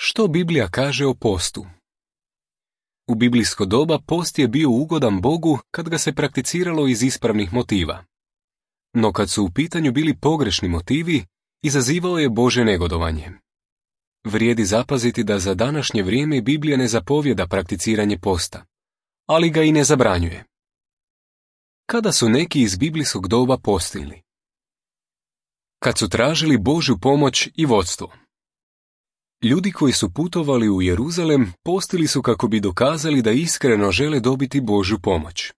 Što Biblija kaže o postu? U biblijsko doba post je bio ugodan Bogu kad ga se prakticiralo iz ispravnih motiva. No kad su u pitanju bili pogrešni motivi, izazivao je Božje negodovanje. Vrijedi zapaziti da za današnje vrijeme Biblija ne zapovjeda prakticiranje posta, ali ga i ne zabranjuje. Kada su neki iz biblijskog doba postili? Kad su tražili Božju pomoć i vodstvo. Ljudi koji su putovali u Jeruzalem postili su kako bi dokazali da iskreno žele dobiti Božju pomoć.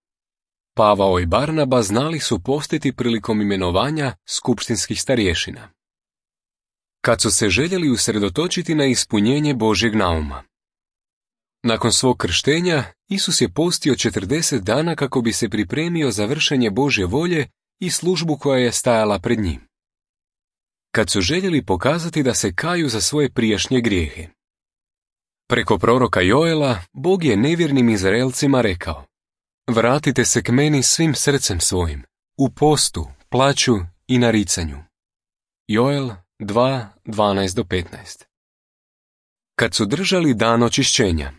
Pavao i Barnaba znali su postiti prilikom imenovanja skupštinskih starješina. Kad su se željeli usredotočiti na ispunjenje Božjeg nauma. Nakon svog krštenja, Isus je postio 40 dana kako bi se pripremio za vršenje Božje volje i službu koja je stajala pred njim. Kad su željeli pokazati da se kaju za svoje prijašnje grijehe. Preko proroka Joela, Bog je nevjernim Izraelcima rekao: vratite se k meni svim srcem svojim, u postu, plaću i naricanju. Joel 2:12-15. Kad su držali dan očišćenja.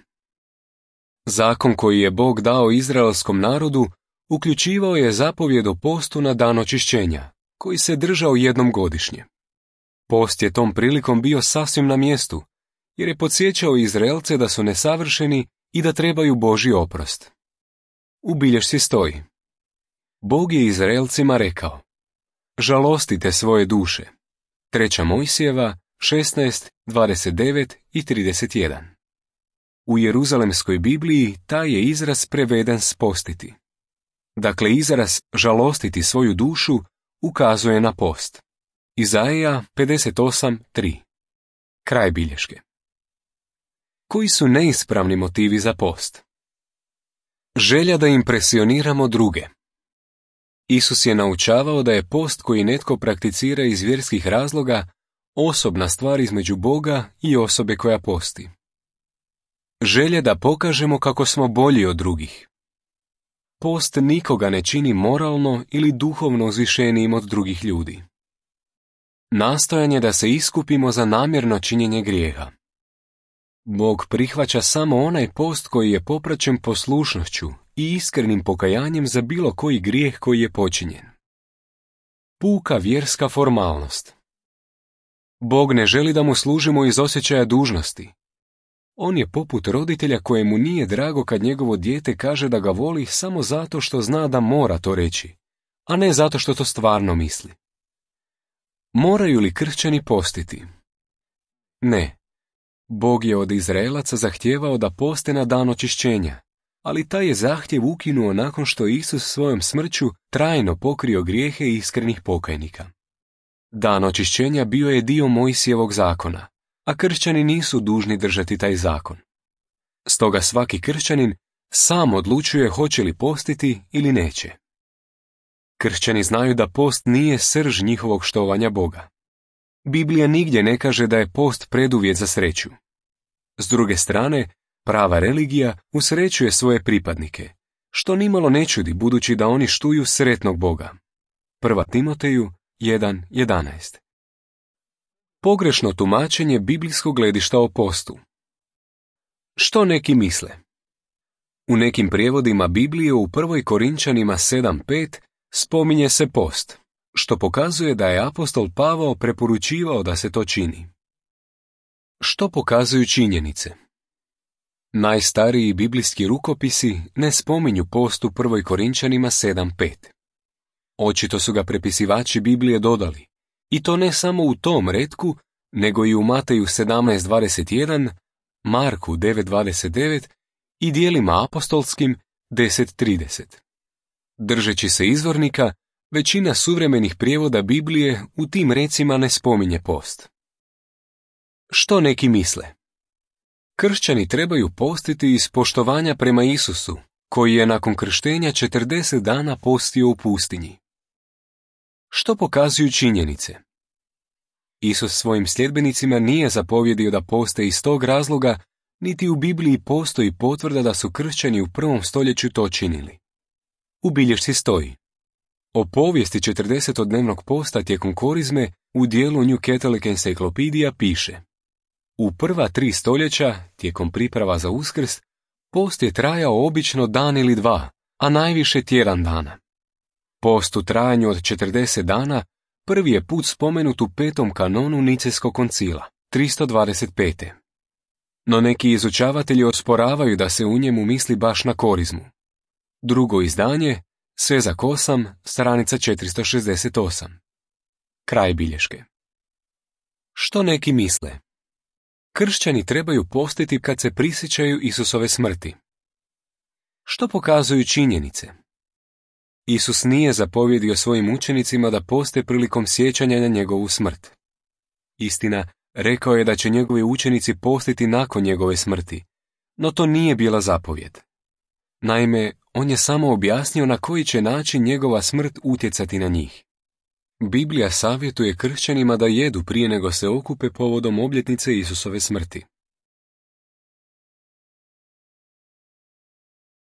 Zakon koji je Bog dao izraelskom narodu uključivao je zapovjed o postu na dan očišćenja, koji se držao jednom godišnje. Post je tom prilikom bio sasvim na mjestu, jer je podsjećao Izraelce da su nesavršeni i da trebaju Božji oprost. U bilješci stoji: Bog je Izraelcima rekao: žalostite svoje duše. 3. Mojsijeva 16, 29 i 31. U Jeruzalemskoj Bibliji taj je izraz preveden s postiti. Dakle, izraz žalostiti svoju dušu ukazuje na post. Izaija 58:3. Kraj bilješke. Koji su neispravni motivi za post? Želja da impresioniramo druge. Isus je naučavao da je post koji netko prakticira iz vjerskih razloga osobna stvar između Boga i osobe koja posti. Želja da pokažemo kako smo bolji od drugih. Post nikoga ne čini moralno ili duhovno uzvišenijim od drugih ljudi. Nastojanje da se iskupimo za namjerno činjenje grijeha. Bog prihvaća samo onaj post koji je popraćen poslušnošću i iskrenim pokajanjem za bilo koji grijeh koji je počinjen. Puka vjerska formalnost. Bog ne želi da mu služimo iz osjećaja dužnosti. On je poput roditelja kojemu nije drago kad njegovo dijete kaže da ga voli samo zato što zna da mora to reći, a ne zato što to stvarno misli. Moraju li kršćani postiti? Ne. Bog je od Izraelaca zahtijevao da poste na dan očišćenja, ali taj je zahtjev ukinuo nakon što je Isus svojom smrću trajno pokrio grijehe iskrenih pokajnika. Dan očišćenja bio je dio Mojsijevog zakona, a kršćani nisu dužni držati taj zakon. Stoga svaki kršćanin sam odlučuje hoće li postiti ili neće. Kršćani znaju da post nije srž njihovog štovanja Boga. Biblija nigdje ne kaže da je post preduvjet za sreću. S druge strane, prava religija usrećuje svoje pripadnike, što nimalo ne čudi budući da oni štuju sretnog Boga. 1. Timoteju 1:11. Pogrešno tumačenje biblijskog gledišta o postu. Što neki misle? U nekim prijevodima Biblije u 1. Korinčanima 7:5 spominje se post, što pokazuje da je apostol Pavao preporučivao da se to čini. Što pokazuju činjenice? Najstariji biblijski rukopisi ne spominju post u 1. Korinčanima 7:5. Očito su ga prepisivači Biblije dodali, i to ne samo u tom retku, nego i u Mateju 17:21, Marku 9:29 i dijelima apostolskim 10:30. Držeći se izvornika, većina suvremenih prijevoda Biblije u tim recima ne spominje post. Što neki misle? Kršćani trebaju postiti iz poštovanja prema Isusu, koji je nakon krštenja 40 dana postio u pustinji. Što pokazuju činjenice? Isus svojim sljedbenicima nije zapovjedio da poste iz tog razloga, niti u Bibliji postoji potvrda da su kršćani u 1. stoljeću to činili. U bilješci stoji: o povijesti 40-dnevnog posta tijekom korizme u dijelu New Catholic Encyclopedia piše: U prva 3 stoljeća, tijekom priprava za Uskrs, post je trajao obično dan ili 2, a najviše tjedan dana. Post u trajanju od 40 dana prvi je put spomenut u 5. kanonu Nicejskog koncila, 325. No neki izučavatelji osporavaju da se u njemu misli baš na korizmu. Drugo izdanje, Svezak 8, stranica 468. Kraj bilješke. Što neki misle? Kršćani trebaju postiti kad se prisjećaju Isusove smrti. Što pokazuju činjenice? Isus nije zapovjedio svojim učenicima da poste prilikom sjećanja na njegovu smrt. Istina, rekao je da će njegovi učenici postiti nakon njegove smrti, no to nije bila zapovjed. Naime, on je samo objasnio na koji će način njegova smrt utjecati na njih. Biblija savjetuje kršćanima da jedu prije nego se okupe povodom obljetnice Isusove smrti.